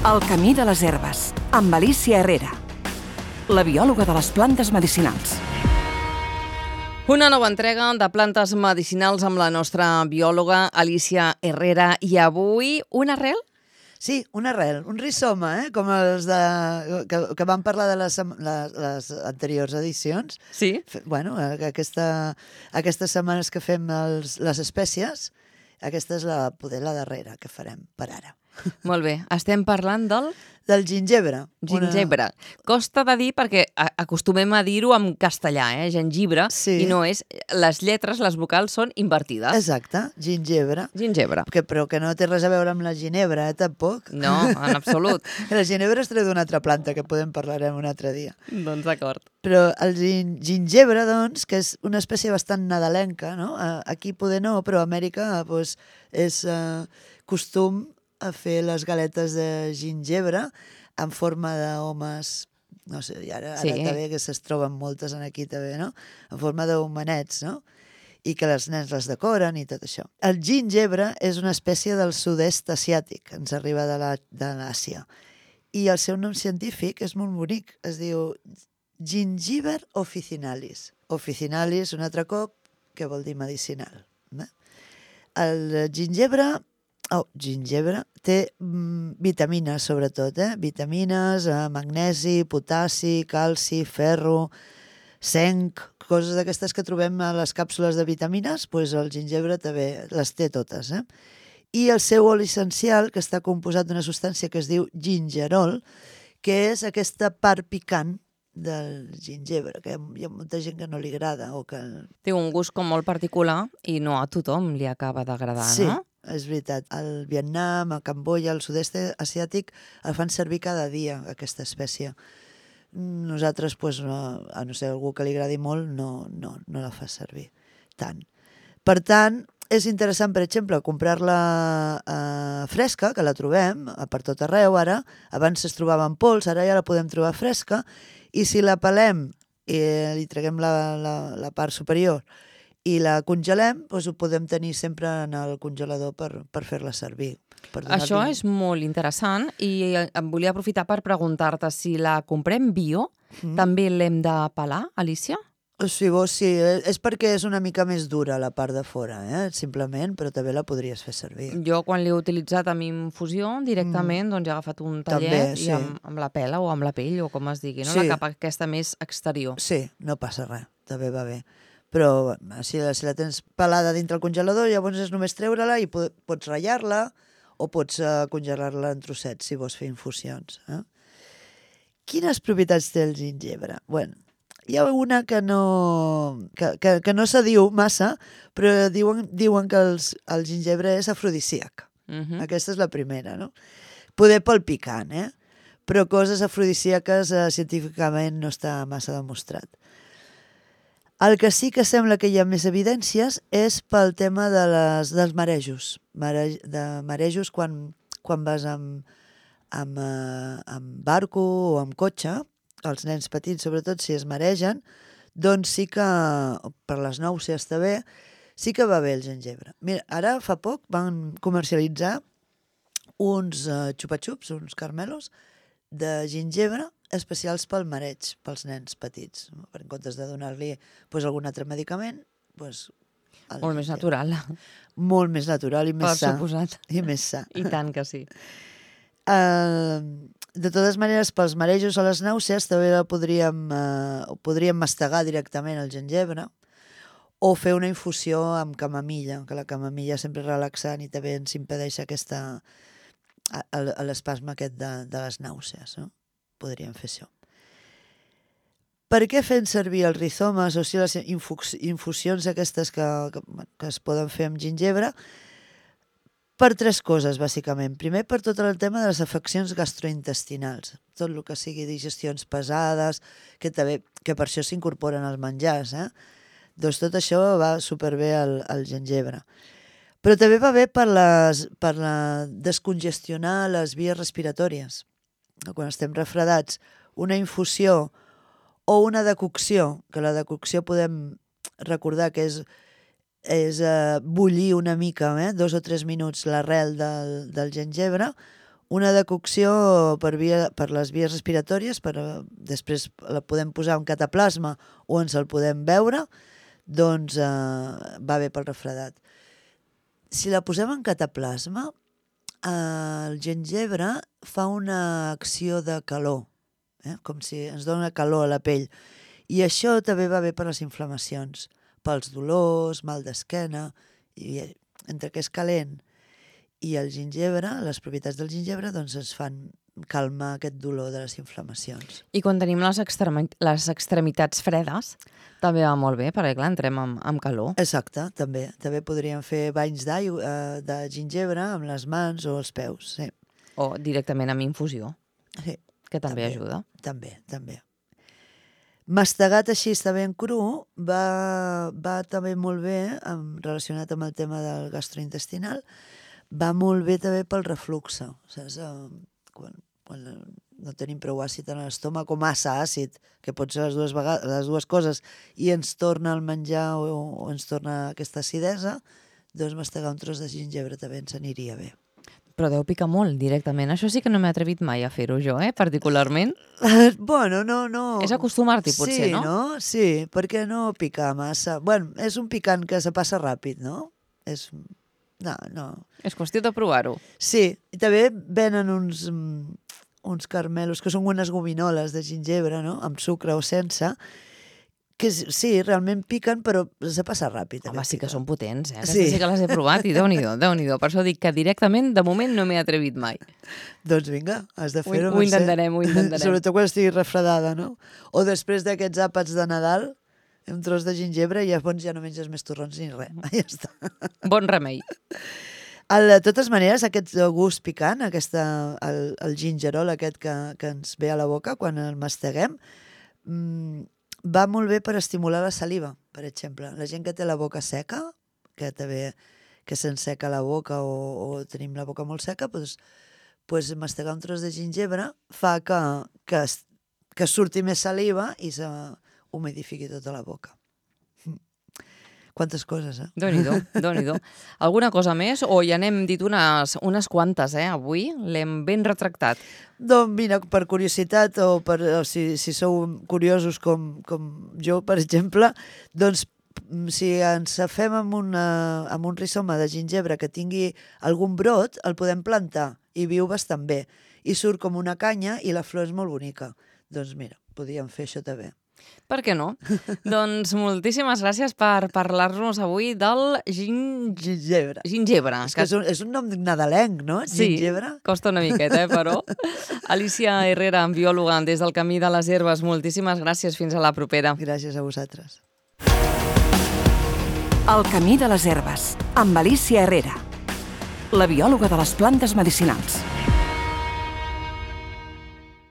El camí de les herbes, amb Alicia Herrera, la biòloga de les plantes medicinals. Una nova entrega de plantes medicinals amb la nostra biòloga Alicia Herrera. I avui, una arrel? Sí, una arrel, un rizoma, com els que vam parlar de les anteriors edicions. Sí. Bueno, aquestes setmanes que fem les espècies, aquesta és la darrera que farem per ara. Molt bé. Estem parlant del gingebre. Gingebre. Costa de dir perquè acostumem a dir-ho en castellà, gengibre, sí. I no és... Les lletres, les vocals són invertides. Exacte, gingebre. Gingebre. Però que no té res a veure amb la ginebra, tampoc. No, en absolut. La ginebra es treu d'una altra planta, que podem parlarem un altre dia. Doncs d'acord. Però el gingebre, doncs, que és una espècie bastant nadalenca, no? Aquí poder no, però a Amèrica doncs, és costum a fer les galetes de gingebre en forma d'homes, no sé, ara també que se'n troben moltes aquí també, no? En forma d'homenets, no? I que els nens les decoren i tot això. El gingebre és una espècie del sud-est asiàtic, ens arriba de l'Àsia. I el seu nom científic és molt bonic, es diu Gingiber officinalis. Officinalis, un altre cop, que vol dir medicinal. El gingebre té vitamines, sobretot, vitamines, magnesi, potassi, calci, ferro, zinc, coses d'aquestes que trobem a les càpsules de vitamines, doncs el gingebre també les té totes. I el seu oli essencial, que està composat d'una substància que es diu gingerol, que és aquesta part picant del gingebre, que hi ha molta gent que no li agrada. Té un gust com molt particular i no a tothom li acaba d'agradar, sí. No? És veritat. Al Vietnam, a Camboya, al sud-est asiàtic, el fan servir cada dia, aquesta espècie. Nosaltres, a no ser algú que li agradi molt, no la fa servir tant. Per tant, és interessant, per exemple, comprar-la fresca, que la trobem per tot arreu ara. Abans es trobava en pols, ara ja la podem trobar fresca. I si la pelem i li treguem la part superior i la congelem, doncs ho podem tenir sempre en el congelador per fer-la servir. Això és molt interessant i em volia aprofitar per preguntar-te si la comprem bio, també l'hem de pelar, Alicia? Sí, és perquè és una mica més dura la part de fora, simplement, però també la podries fer servir. Jo quan l'he utilitzat amb infusió directament, doncs he agafat un tallet i amb la pela o amb la pell o com es digui, no? La capa aquesta més exterior. Sí, no passa res, també va bé. Però si la tens pelada dintre el congelador, llavors és només treure-la i pots ratllar-la o pots congelar-la en trossets si vols fer infusions. Quines propietats té el gingebre? Bueno, hi ha una que no se diu massa, però diuen que el gingebre és afrodisíac. Aquesta és la primera, no? Poder pel picant, però coses afrodisíaques científicament no està massa demostrat. El que sí que sembla que hi ha més evidències és pel tema dels marejos. Marejos quan vas amb barco o amb cotxe, els nens petits, sobretot, si es maregen, doncs sí que, per les nàusees també, sí que va bé el gingebre. Mira, ara fa poc van comercialitzar uns xupa-xups, uns carmelos, de gingebre especials pel mareig, pels nens petits. En comptes de donar-li algun altre medicament, molt més natural. Molt més natural i més sa. Per suposat. I més sa. I tant que sí. De totes maneres, pels marejos o les nàusees també podríem mastegar directament el gingebre o fer una infusió amb camamilla, que la camamilla sempre és relaxant i també ens impedeix l'espasme aquest de les nàusees, no? Podríem fer això. Per què fem servir els rizomes o les infusions aquestes que es poden fer amb gingebre? Per 3 coses, bàsicament. Primer, per tot el tema de les afeccions gastrointestinals. Tot el que sigui digestions pesades, que per això s'incorporen als menjars. Doncs tot això va superbé al gingebre. Però també va bé per descongestionar les vies respiratòries. Quan estem refredats, una infusió o una decocció, que la decocció podem recordar que és bullir una mica, 2 o 3 minuts l'arrel del gingebre, una decocció per les vies respiratòries, després la podem posar en cataplasma o ens el podem beure, doncs va bé pel refredat. Si la posem en cataplasma, el gingebre fa una acció de calor, com si ens dona calor a la pell. I això també va bé per les inflamacions, pels dolors, mal d'esquena, i entre que és calent i el gingebre, les propietats del gingebre, doncs ens fan calmar aquest dolor de les inflamacions. I quan tenim les extremitats fredes, també va molt bé, perquè clar, entrem amb calor. Exacte, també. També podríem fer banys de gingebre amb les mans o els peus, sí. O directament amb infusió, Sí, que també ajuda. També. Mastegat així, està ben cru, va també molt bé, relacionat amb el tema del gastrointestinal, va molt bé també pel reflux, saps? Quan no tenim prou àcid en l'estómac o massa àcid, que pot ser les dues coses, i ens torna el menjar o ens torna aquesta acidesa, doncs mastegar un tros de gingebre també ens aniria bé. Però deu picar molt directament. Això sí que no m'he atrevit mai a fer-ho jo, particularment. Bueno, no. És acostumar-t'hi, potser, no? Sí, no? Sí, perquè no pica massa. Bueno, és un picant que se passa ràpid, no? No. És qüestió de provar-ho. Sí, i també venen uns carmelos, que són unes gominoles de gingebre, no? Amb sucre o sense, que sí, realment piquen, però se passa ràpid. Home, sí que són potents, Sí. sí que les he provat i Déu-n'hi-do. Per això dic que directament, de moment, no m'he atrevit mai. Doncs vinga, has de fer-ho, Ho intentarem. Sobretot quan estigui refredada, no? O després d'aquests àpats de Nadal, un tros de gingebre i llavors ja no menges més torrons ni res. Ja està. Bon remei. De totes maneres, aquest gust picant, el gingerol aquest que ens ve a la boca quan el masteguem, va molt bé per estimular la saliva, per exemple. La gent que té la boca seca, que se'n seca la boca o tenim la boca molt seca, doncs mastegar un tros de gingebre fa que surti més saliva i s'humidifiqui tota la boca. Quantes coses, Déu-n'hi-do. Alguna cosa més? O ja n'hem dit unes quantes, avui? L'hem ben retractat. Doncs mira, per curiositat o si sou curiosos com jo, per exemple, doncs si ens fem amb un rizoma de gingebre que tingui algun brot, el podem plantar i viu bastant bé. I surt com una canya i la flor és molt bonica. Doncs mira, podríem fer això també. Per què no? Doncs moltíssimes gràcies per parlar-nos avui del Gingebre. Gingebre. És un nom nadalenc, no? Sí, Gingebre. costa una miqueta, però. Alicia Herrera, biòloga des del Camí de les Herbes, moltíssimes gràcies. Fins a la propera. Gràcies a vosaltres. El Camí de les Herbes, amb Alicia Herrera, la biòloga de les plantes medicinals.